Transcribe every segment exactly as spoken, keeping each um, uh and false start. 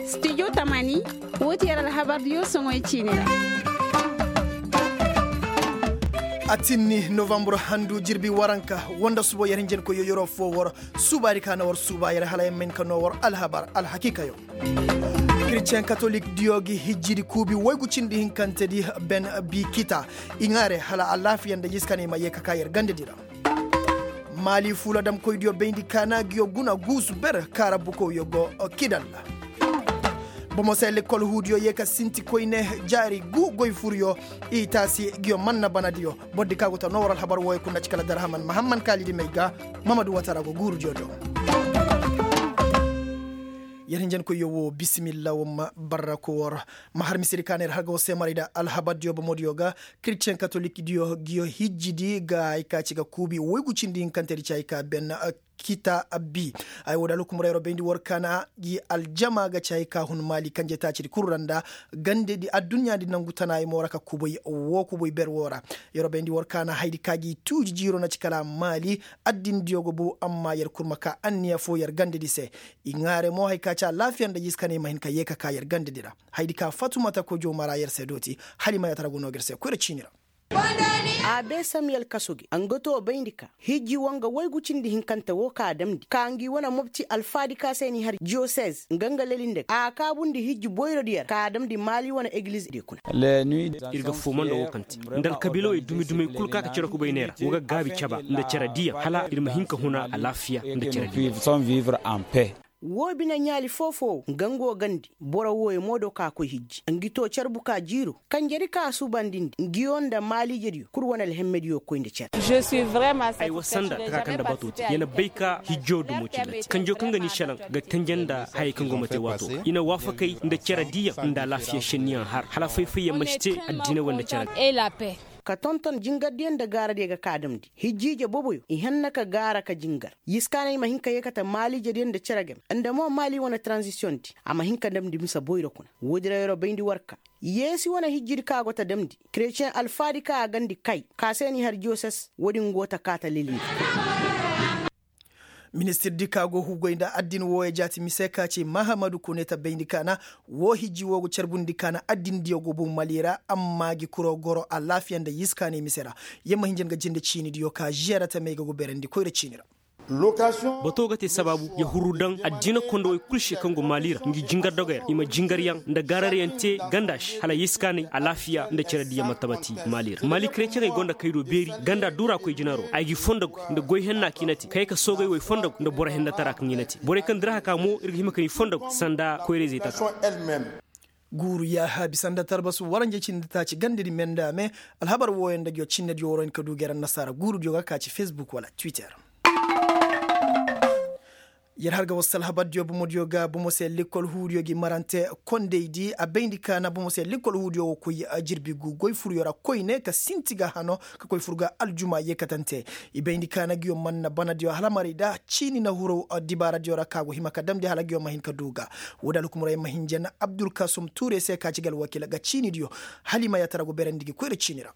Studio tamani, woo ti yer alhabardiyo soŋoy ciini ra. A tinni novambur handu jirbi waranka, wanda subo yer hinjankoyyo yeroo foo war suubaadi ka na war suuba yer hala yer ma hin ka noo war alhabar alhakiikayo. Kiristiyen katolikdiyo gi hijjidi kuubi woygu cindi hinkantedi ben bi kita i ŋaare hala alaafiya nda jiska ne i ma yee ka kaa yer gandedi ra. Maali fuuladamkoydiyo bayndi kaana ngiyo guna guusu ber kaara bukowyo go kidal. Bomo se lekkol huudiyo yee ka sinti koyne jaari guu goy furyo i taasi ngiyo manna banadiyo. Bordi ka go ta noo war alhabar wooyo kul nda ci kala darhaman mahamman kaalidi may ga. Mamadu watara go guurudiyo do. Yer hinjankoyyo woo bisimilla war ma barra ko war ma har misedi ka na yer har ga war se maray nda alhabardiyo bomodiyo ga. Kiristiyen katolikdiyo ngiyo hijjidi ga hay ka ci ga kuubi woygu cindi hinkantedi ci hay ka ben kita bi. Ay woo da alhukumra yeroo bayndi war kaana gi aljama ga ci hay ka hun maali kanje taacidi kul ra nda gandedi adduɲɲaadi nangu tana ay mo ra ka kubay woo kubay ber woo ra. Yeroo bayndi war kaana haydi ka gi tuuji jiiroo na ci kala maali addindiyo go bow amma yer kul ma kaa anniya foo yer gandedi se. I ŋaare mo hay ka ci alaafiya nda jiska ne i ma hin ka yee ka kaa yer gandedi ra. Haydi ka fatumata kojo mara yer se dooti hala i ma yaatara go noo ga yer se koyra ciini ra. A bee samiyel kaso gi nga too bayndi ka hijji woo nga woygu cindi hinkante woo ka a damndi ka ngi wane mopti alfaadi ka se n'i har jiyosez nga nga leli nda ga a kaabundi hijji boyrodiyo ra ka a damndi maali wane egilizdiyo kuna. Ir ga fooma nda woo kaŋ te nda alkabiilawey dumi-dumey kul ka ka cere kubay ne ra woo ga gaabi caba nda cere diyaŋ hala ir ma hin ka huna alaafiya nda cere diyaŋ. Woo bine ɲaali foo-foo nga nga woo gandi boro wooyo mo do ka koy hijji ngi too carbu ka jiiro kanjedi ka a suubandindi ngiyo nda maaliijediyo kul wane alhemmediyo koy nda cere. Ay wa sanda taka kaŋ nda bato te ya na bay ka hijjo dumo cillati kanjo kaŋ ga ni šelaŋ ga tenje nda hayey kaŋ go ma te waato ga i na waafakay nda cere diyaŋ nda alaafiya šenniyaŋ har hala fay-fayyaŋ ma si te addinay wala nda cere. Ka tonton jingardiyaŋ nda gaaradiyo ga ka a damndi hijjiije boboyo i hanna ka gaara ka jingar yiskaaney ma hin ka yeekate maaliijediyaŋ nda cere game nda mo maali wane taranzisiyoŋdi a ma hin ka damndi mise boyro kuna. Woodi ra yeroo bayndi war ka yeesi wane hijjidi ka go ta damndi keretiyeŋ alfaadi ka a gandi kay ka se n'i har jiyoses woodin go ta kaa ta lelindi. Ministirdi ka go hugoy nda addin wooyo jaati mise ka ci mahamadu kune ta bayndi kaana woo hijji woo go carbundi kaana addindiyo go bow mali ra amma gi kuroo goro alaafiya nda yiskaaney mise ra. Yer ma hinja nga jinde ciinidiyo ka žiyara tamey ga go beerandi koyra ciini ra. Bato ga te sabaabu ya huru daŋ addina kondowey kul se kaŋ go maali ra ngi jingar dogey ra i ma jingaryaŋ nda gaararyaŋ te ganda se hala yiskaaney alaafiya nda cere diyaŋ ma tabati maali ra maali kereceŋey gonda kay do beeri ganda duura koy jinaro ay g'i fondogu nda goy henna kiinati kay ka soogay woy fondogu nda boro hennatara kaŋ i na te borey kaŋ diraha ka mo ir ga hima ka ni fondogu sanda koyrayzey taka. Guuru yaaha bisa nda talbasu waranje cindi taaci gandedi me nda me. Alhabar wooyo nda ngiyo cinnediyo waro hin ka du gay ra annasaara guurudiyo ga ka ci fesbuk wala twitter. Yer har ga wasu alhabardiyo bomodiyo ga bomo se lekkol huudiyo gi marante kondeydi a bayndi kaana bomo se lekkol huudiyo wo koy jirbi gu goy furyo ra koyne ka sinti ga hano ka koy fur ga aljuma yeekatante. I bayndi kaana ngiyo manna banadiyo alhamarey da ciini na huru dibaaradiyo ra ka go hima ka damndi hala ngiyo ma hin ka du ga. Woodi alhukumra yer ma hinja na abdulkasum tuure se ka ci ga alwakiila ga ciinidiyo hala i ma yaatara go beerandi gi koyra ciini ra.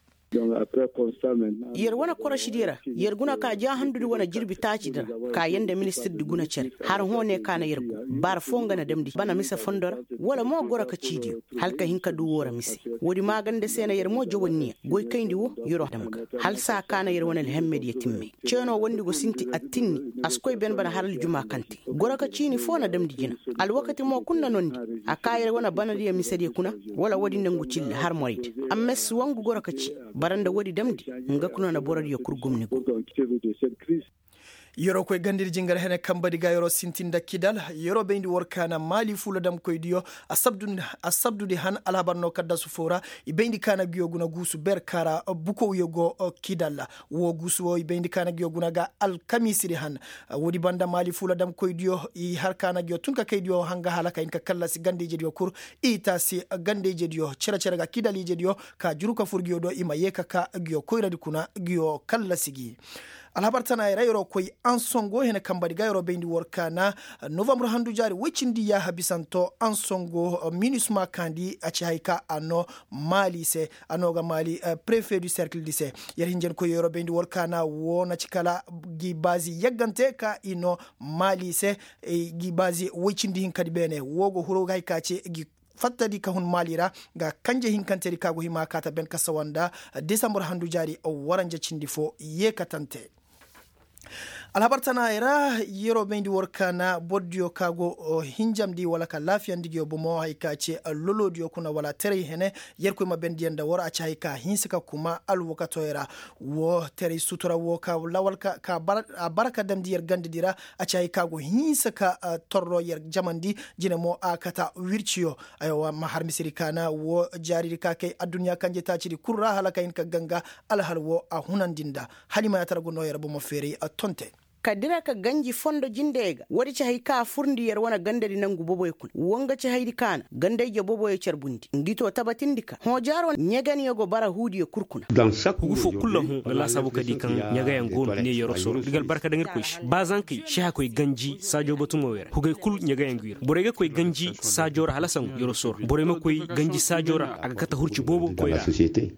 Yer wane korošidi ra yer guna ka jaahandudi wane jirbi taacidi ra. Ka yer nda ministirdi guna cere har hõ ne ka na yer go baara foo nga na damndi bana mise fondo ra wala mo goro ka ciidiyo hala ka hin ka du woo ra mise. Woodi maaganda se na yer mo jawanniya goy kayndi woo yeroo dam ga hala saa ka na yer wane alhemmediyo timme. Ceenoo wondi go sinti attinni a si koy ben bana har aljuma kaŋ te goro ka ciini foo na damndi jina. Alwakati mo kul na nondi a kaa yer wane banadiyo misediyo kuna wala woodi nda ngu cilla har moraydi. Amma si wangu goro ka ci bara nda woodi damndi nga kuna na borodiyo kul gumni go. Yeroo koy gandedi jingar hene kambadi ga yeroo sintin nda kidal yeroo bayndi war kaana maali fuula damkoydiyo a sabdudi han alhabar no kaddasu foo ra. I bayndi kaana ngiyo guna guusu ber kaara bukowyo go kidal. Woo guusu woo i bayndi kaana ngiyo guna ga alkamiisidi han. Woodi banda maali fuula damkoydiyo i har kaana ngiyo tun ka kaydiyo hanga hala ka hin ka kallasi ganda-ijediyo kul. I taasi ganda-ijediyo cere-cere ga kidal-ijediyo ka juru ka fur ngiyo do i ma yee ka kaa ngiyo koyradi kuna ngiyo kallasi gi. Alhabar tana yer ra yer'o koy ansongo hene kamba di ga yer'o bayndi war kaana novambre handu jaari woy cindi yaaha bisanto ansongo minisma kaandi a ci hay ka a noo maali se. A noo ga maali prefe du serkil di se. Yer hinjankoy yer'o bayndi war kaana woo na ci kala gi baazi yaggante ka i noo maali se. Gi baazi woy cindi hinka di beene woo go huru hay ka ci gi fattadi ka hun maali ra. Nga kanje hinkantedi ka go hima kaata ben ka sawa nda desambar handu jaari waranja cindi fo yeekatante. Alhabar tana yer ra yer'o bayndi war kaana bordiyo ka go hinjamndi wala ka laafiyandi nguyo bomo hay ka ci loloodiyo kuna wala teray hene. Yerkoy ma bendiyaŋ nda war a ci hay ka hinsa ka kuma alwakatoyo ra. Woo teray sutura woo ka lawal ka a bara ka damndi yer gandadi ra. A ci hay ka go hinsa ka torro yer jamandi. Jine mo a kata wirciyo. Aywa ma har misiri kaana woo jaaridi ka kay adduɲɲa kanje taacidi kul ra hala ka hin ka ganga. Alhal woo a hunandi nda hala i ma yaatara ga noo yer bomo feeray a tonte. Ka dira ka ganji fondo jindey ga woodi ci hay ka a furndi yer wane gandadi nangu boboyo kuna woo nga ci haydi ka na ganda-ije boboyo carbundi ngi too tabatindi ka hõ jaaro ɲegeniyo go bara huudiyo kul kuna. Hugu foo kul ra hõ nga laasaabu ka di kaŋ ɲegeyaŋ go no ne yer'o soro nda ga albarka daŋ irkoy se ba zankey sehakoy ganji saajo batumo wey ra hugey kul ɲegeyaŋ go i ra borey ga koy ganji saajo ra hala sangu yer'o soro borey ma koy ganji saajo ra a ga kate hurci boobo koy ra.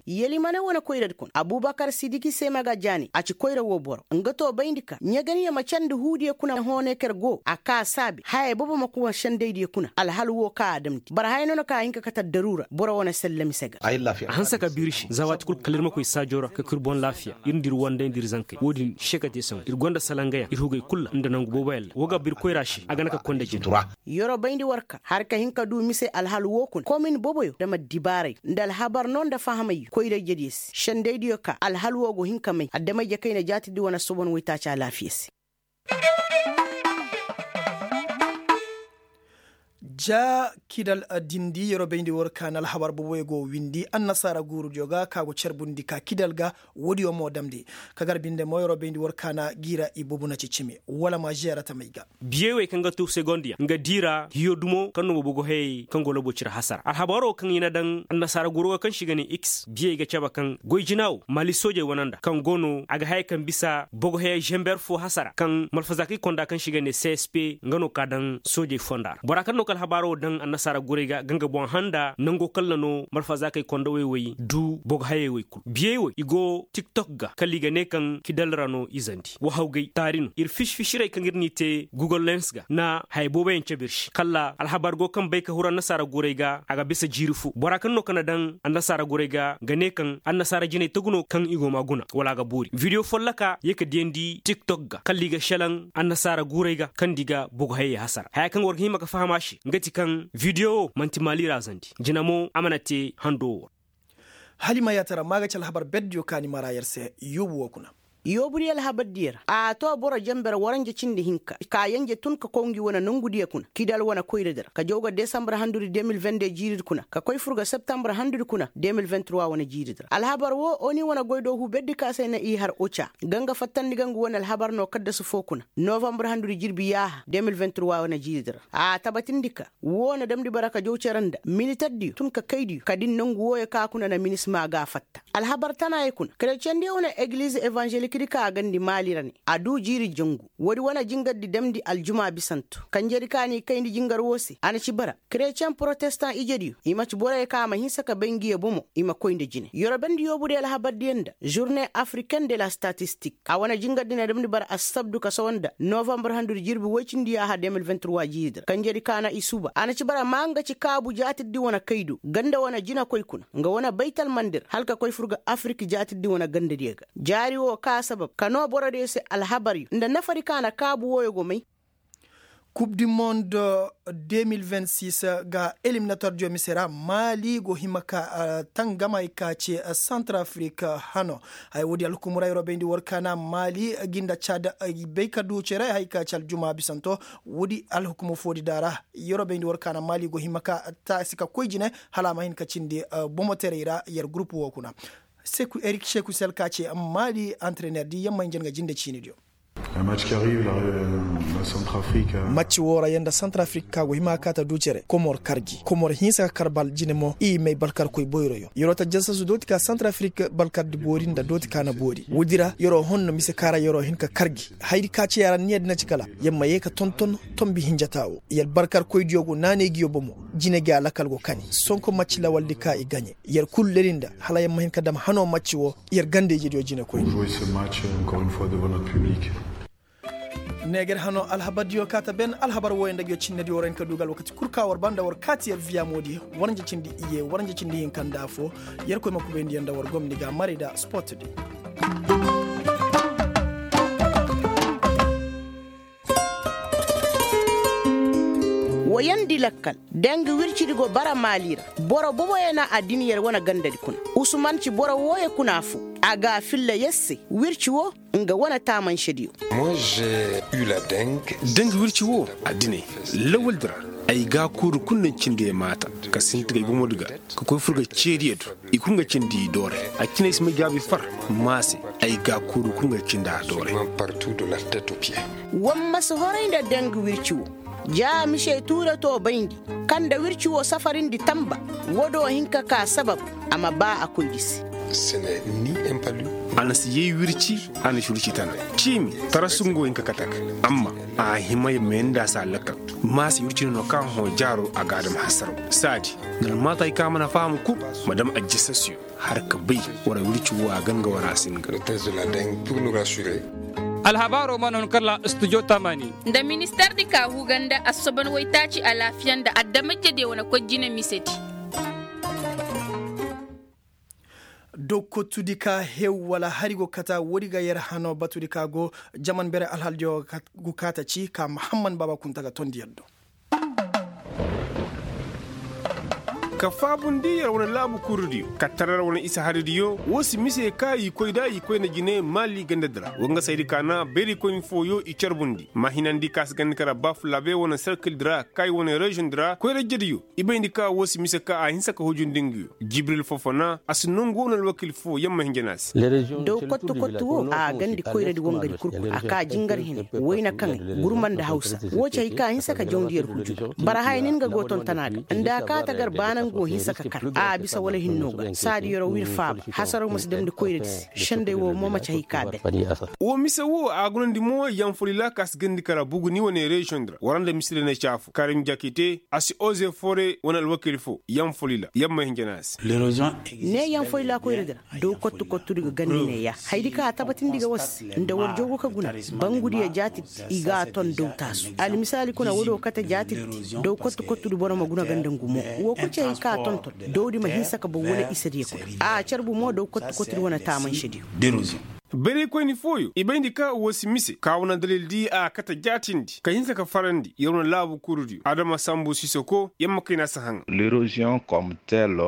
Yelimane wane koyradi kuna abubakar sidiki se ma ga jaani a ci koyra woo boro nga too bayndi ka ɲeganiyo ma candi huudiyo kuna hõ ne ka yer go a kaa saabe hayey boobo ma kuna sendaydiyo kuna alhal woo ka a damndi bara haya no na ka a hin ka kate addaruura boro wane selle mise ga. A hanse ka biiri se za waati kul kala ir ma koy saajo ra ka koy ir boŋ laafiya ir nda ir wandey nda ir zankey woo din se ka te sangu ir gonda salangayaŋ ir hugey kul ra nda nangu booboyaŋ ra woo ga ba ir koyra se a ga na ka koy nda jina. Yer'o bayndi war ka har ka hin ka duu mise alhal woo kuna komin boboyo dam addibaaray nda alhabar no nda fahamayyo koyra-ijediyo se sendaydiyo ka alhal woo go hin ka may adama-ije kayna jaatirdi wane sobon woytaaci alaafiya se. Ja kidal dindi yer'o bayndi war ka na alhabar boboyo go windi annasaara guurudiyo ga ka go carbundi ka kidal ga woodiyo mo damndi ka gar binde mo yer'o bayndi war ka na gi ra i bobu na ci cimi wala ma žeera tamey ga. Biyey wey kaŋ ga tuu segondiyaŋ nga dii ra hiyo dumo kaŋ no bobogo hayey kaŋ go labo cire hasara alhabaro kaŋ i na daŋ annasaara goro ga kaŋ se i ga ne x biyey ga cabe kaŋ goy jina wo maali soojey wane nda kaŋ go no a ga hayey kaŋ bisa bogo hayey žember fo hasara kaŋ malfazaakey konda kaŋ se i ga ne csp nga no ka daŋ soojey fonda ra bora kaŋ no ka alhabaro daŋ annasaara gorey ga ga nga boŋ handa nango kaŋ ra no malfazaakey konda wey wey du bogo hayey wey kul biyey wey i go tiktok ga kala i ga ne kaŋ kidal ra no izandi wahawgay taari no ir fisi-fisirey kaŋ ir n'i te google lens ga na haya booboyaŋ cabe ir se kala alhabar go kaŋ bay ka huru annasaara gorey ga a ga bisa jiiri fo bora kaŋ no ka na daŋ annasaara gorey ga ga ne kaŋ annasaara jinay tagu no kaŋ i go ma guna wala a ga boori video folloka ye ka diyandi tiktok ga kala i ga šelaŋ annasaara guurey ga kaŋ nda i ga bogo hayey hasara haya kaŋ war ga hima ka faham a se nga ti kaŋ video wo man'ti maali ra zandi jina mo a mana te hando wo ra. Hala i ma yaatara ma ga ci alhabar berdiyo kaani mara yer se yoobu wo kuna. Yoobudiyo alhabardiyo ra a to boro jenber waranja cindi hinka ka yanje tun ka koy ngi wane nongudiyo kuna kidal wane koyradi ra ka jaw ga desambar handudi de mil vende jiiridi kuna ka koy fur ga septambar handudi kuna de mil venturwa wane jiiridi ra alhabar wo oni wane goydoohu berdi ka se na i har oca ga nga fattandi ga ngu wane alhabar no kaddasu foo kuna novambar handudi jirbi yaaha de mil venturwa wane jiiridi ra a tabatindi ka woo na damndi bara ka jaw cere nda militerdiyo tun ka kaydiyo ka din nongu wooyo ka kuna na minisma ga a fatta alhabar tanaayey kuna kerecendi wane egiliz evanzelikdi ka a gandi maali ra ne a duu jiiri jangu woodi wane jingardi damndi aljuma bisanto kanjedi ka n'i kayndi jingar woo se a na ci bara kereceŋ porotestan ijediyo i ma ci boroyo ka a ma hinsa ka bay nguyo bomo i ma koy nda jine yorobendi yoobudiyo alhabardiyo nda žurne afriken de la statistik a wane jingardi na damndi bara assabdu ka sawa nda novambar handudi jirbi woy cindi yaaha de mil vingt trois jiiridi ra kanjedi ka na i suuba a na ci bara maa nga ci kaabu jaatirdi wane kaydo ganda wane jinakoy kuna nga wane baytalmandi ra hala ka koy fur ga afirik jaatirdi wane gandadiyo ga jaari woo ka sabab ka noo borodiyo se alhabaryo nda nafadi ka na kaabu wooyo go may. Kub di mond de mil vingt six ga eliminator diyo mise ra maali go hima ka tangam hay ka ce santrafrik hano. Hay woodi alhukumura yeroo bayndi war ka na maali gi nda cad bay ka du cere hay ka ce aljuma bisanto. Woodi alhukumu foodi daara yeroo bayndi war ka na maali go hima ka taasi ka koy jine hala a ma hin ka cindi bomoterey ra yer gurupu woo kuna. Seku erik seku sel ka ce maali antrener di yamma hinja nga jinde ciini diyo. Macci woo ra yer nda santarafrik ka go hima ka kaa ta du cere komor kar gi komor hinsa ka kar bal jine mo i may balkarkoy boyroyo yeroo ta jasasu dooti ka santarafrik balkardi boori nda dooti ka na boori woodi ra yeroo honno mise ka ra yeroo hin ka kar gi hayadi ka ci yaara niya di na ci kala yer ma yee ka tonton tombi hinjataa woo yer balkarkoydiyo go naanay ngiyo bomo jine gi alakal go kani sonko macci lawaldi ka i gaɲe yer kul leli nda hala yer ma hin ka dam hanoo macci woo yer ganda-ijediyo jine koy. Neeger hanoo alhabardiyo kaa ta ben alhabar wooyo nda ngiyo cinnediyo ra hin ka duugu alwakati kul ka war ba nda war kaati yer viyamoodi waranja cindi iyye waranja cindi hinka nda affoo yer koy ma kubayndi yer nda war gomni ga maray nda sportdi. Woyandi lakkal deng wircidi go bara maali ra boro boboyo na a din yer wane gandadi kuna. Usuman ci boro wooyo kuna foo a ga a filla yer se wirci woo nga wane taamansediyo. Deng wirci woo a dinay lawaldi ra ay ga a kuuru kul nda cindi ay maata ka sinti ga ay bomodi ga ka koy fur ga ceediyo do i kul nga cindi i dooray a cine ay si may gaabi far maase ay ga a kuuru kul nga cindi a dooray. War ma si horay nda deng wirci woo ja mise tuuratoo bayndi kaŋ nda wirci woo safarindi tanba woo do hin ka kaa sabab a ma baa a koydi se. A na si yay wirci a na si wirci tana ciimi tarasu nga wo hin ka kate a ga amma a hima ya mayandi a se a lakkal maase wirci no no kaŋ hõ jaaroo a ga a dam hasaraw saadi nda almaata hay kaŋ a mana faham kul ma dam ajjasasiyo har ka bay wara wirci woo a ga nga wara a si nga. Alhabaaroo mana hun kala studio tamani. Nda ministardi ka huga nda assoban waytaaci alaafiya nda adama-ijediyo wane koy jine misedi. Dokottudi ka hew wala hari go kata woodi ga yer hano batudi ka go jaman bere alhaldiyo go kaata ci ka mahamman baaba kunta ga tondi yer do. Ka faabundi yer wane laabu kurudiyo ka tarar wane isa haridiyo woo si mise ka i koy da i koy nda jine maali gandadi ra wa nga saydi ka na bayraykoyni fooyo i carbundi ma hinandi ka si gandi kara baafulaabe wane serkildi ra kay wane reziyondi ra koyra-ijediyo i bayndi ka woo si mise ka a hinsa ka hujundi nguyo jibril fofona a si nongu wane alwakiil foo yamma hinja na a se. Daw kottu kottu woo a gandi koyradi wangadi kurku a kaa jingar hine wayna kaŋay gurma nda hawsa woo ci hay ka a hinsa ka jawndi yer huju ga bara haya nin ga go tontona ga nda a kaa tagar baana nga go hinsa ka kar a bisa wala hinno ga saadi yeroo wir faaba hasaraw ma si damndi koyradi se sendey woo mo ma ci hay ka a ben. Woo mise woo a gunandi mo yanfolila ka si gandi kara buguni wane reziyondi ra wara nda mise day na caafu karim jakite a si oze fore wane alwakiil foo yanfolila yamma hinja na a se. Ne yanfolila koyradi ra daw kottu kottudi ga gandi neeya hayadi ka a tabatindi ga war se nda war jawgu ka guna bangudiyo jaatidi i ga a ton daw taasu almisaali kuna woodiyo kate jaatidi daw kottu kottudi boro ma guna ga nda ngu mo woo kul ci hay ka a tonton dawdi ma hinsa ka boŋ wala isadiyo kuna a carbu mo daw kottu kottudi wane taamansediyo. Bayraykoyni fooyo i bayndi ka woo si mise ka wane dalildi a kate jaatindi ka hinsa ka farandi yer wane laabu kurudiyo adama sambu sisoko yamma kayna si haŋa. L'érosion comme telle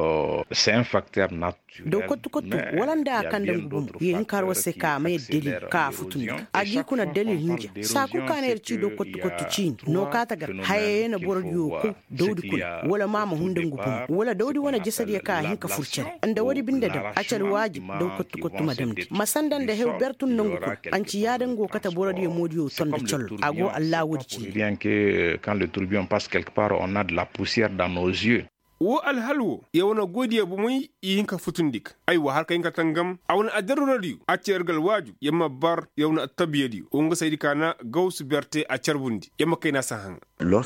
c'est un facteur naturel. Daw kottu kottu wala nda a kaŋ nda ngu bomo ye hin ka har war se ka a ma yee dalil ka a futundi ga a g'i kuna dalil hinja saa kul ka na yer cii daw kottu kottu ciini no ka tagar haya ye na borodiyo kow dawdi kuna wala ma a ma hun nda ngu bomo wala dawdi wane jasadiyo ka a hin ka fur cere nda woodi binde dam a ci alwaajib daw kottu kottu ma damndi ma sanda nda hew ber tun nongu kuna a nci yaada nga go kate borodiyo moodiyo ton nda collo a go allaa woodi ciini. Bien que quand le tourbillon passe quelque part on a de la poussière dans nos yeux. Woo alhal woo yer wane goydiyo bomey i hin ka futundi ga aywa har ka hin ka tangam a wane addaruradiyo a ci yer ga alwaaju yer ma bar yer wane attabiyadiyo woo nga saydi ka na gawsu berte a carbundi yer ma kayna si haŋa.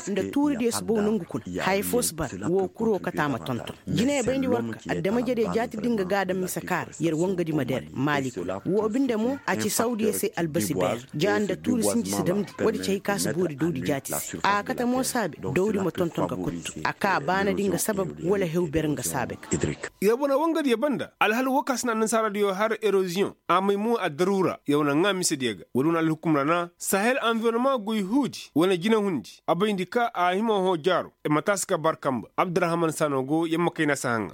Nda tuuridiyo si bow nongu kuna haya foo si bar woo kuroo kate a ma tonton. Jiney bayndi war ka adama-ijediyo jaati din ga gaadam mise kaara yer wangadi ma dere maali kuna woo binde mo a ci sawdiyo se albasi beer ja nda tuuri sinji si damndi woodi ci hay ka si boori dawdi jaati se a kate mo saabe dawdi ma tonton ga kottu a kaa baanadi nga sabab wala hew ber nga saabe ga. Yer wane wangadiyo banda alhal woo ka si na annasaaradiyo har eroziyoŋ a may mo addaruura yer wane ŋaa misediyo ga woodi wane alhukum ra na sahel anvironoma goy huudi wane jinahundi a bayndi ka a hima hõ jaaro. Mataasi ka bar kamba abdurahman sano go yamma kayna si haŋa.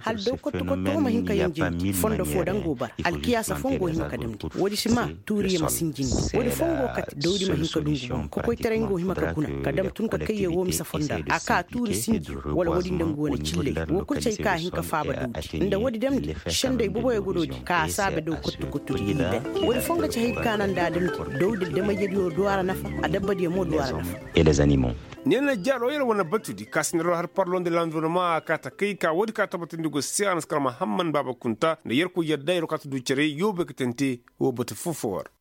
Hal daw kottu kottu wo ma hin ka yanjandi fondo foo daŋ go bara alkiyaasa foo nga go hima ka damndi woodi si maa tuuriyo ma sinjindi woodi foo nga go kate dawdi ma hin ka dungu boŋ kokoytaray nga go hima ka guna ka dam tun ka kayye woo mise fonda a kaa tuuri sinji wala woodi nda ngu wane cilley. Wo kul ci hay ka hin ka faaba dawdi nda woodi damndi. Sendey boboyo ga doodi ka a saabe daw kottu kottu di ga ni dan. Woodi foo nga ci hay ka naŋ nda a damndi dawdi damayyadiyo du a ra nafa. Adabbadiyo mo du a ra nafa. Neena jaaroo yer wane batudi ka sinaroo har parloo nda lanvironoma a kaa takay ka woodi ka tabbatandi go se a na si kar mahamman baaba kunta nda yerkoy yadda yer go kaa ta du cere yoobey ka tante. Woo batu foo foo war.